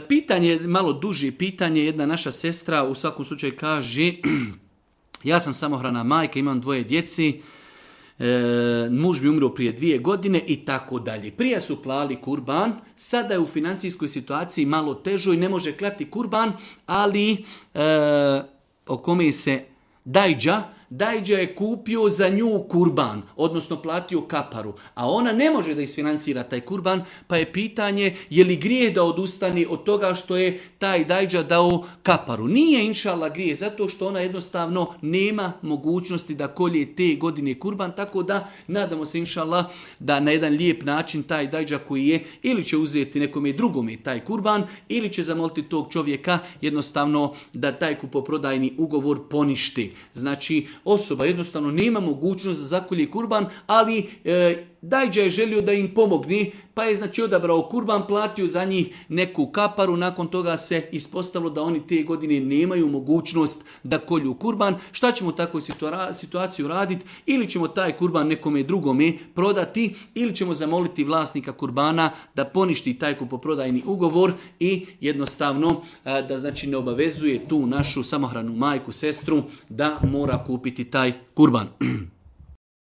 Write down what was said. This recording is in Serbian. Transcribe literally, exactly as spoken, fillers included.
Pitanje, malo duže pitanje, jedna naša sestra u svakom slučaju kaže, ja sam samohrana majka, imam dvoje djeci, e, muž mi umro prije dvije godine i tako dalje. Prije su klali kurban, sada je u financijskoj situaciji malo težo i ne može klati kurban, ali e, o kome se dajđa, dajđa je kupio za nju kurban, odnosno platio kaparu, a ona ne može da isfinansira taj kurban, pa je pitanje je li grijeh da odustani od toga što je taj dajđa dao kaparu. Nije inšala grijeh, zato što ona jednostavno nema mogućnosti da kolje te godine kurban, tako da nadamo se inšala da na jedan lijep način taj dajđa koji je ili će uzeti nekome drugome taj kurban ili će zamoliti tog čovjeka jednostavno da taj kupoprodajni ugovor poništi. Znači, osoba jednostavno nema mogućnost da zakolje kurban, ali e, dajđa je želio da im pomogne, pa je znači odabrao kurban, platio za njih neku kaparu, nakon toga se ispostavilo da oni te godine nemaju mogućnost da kolju kurban. Šta ćemo u takvoj situaciji raditi? Ili ćemo taj kurban nekome drugome prodati, ili ćemo zamoliti vlasnika kurbana da poništi taj kupoprodajni ugovor i jednostavno da znači ne obavezuje tu našu samohranu majku, sestru da mora kupiti taj kurban.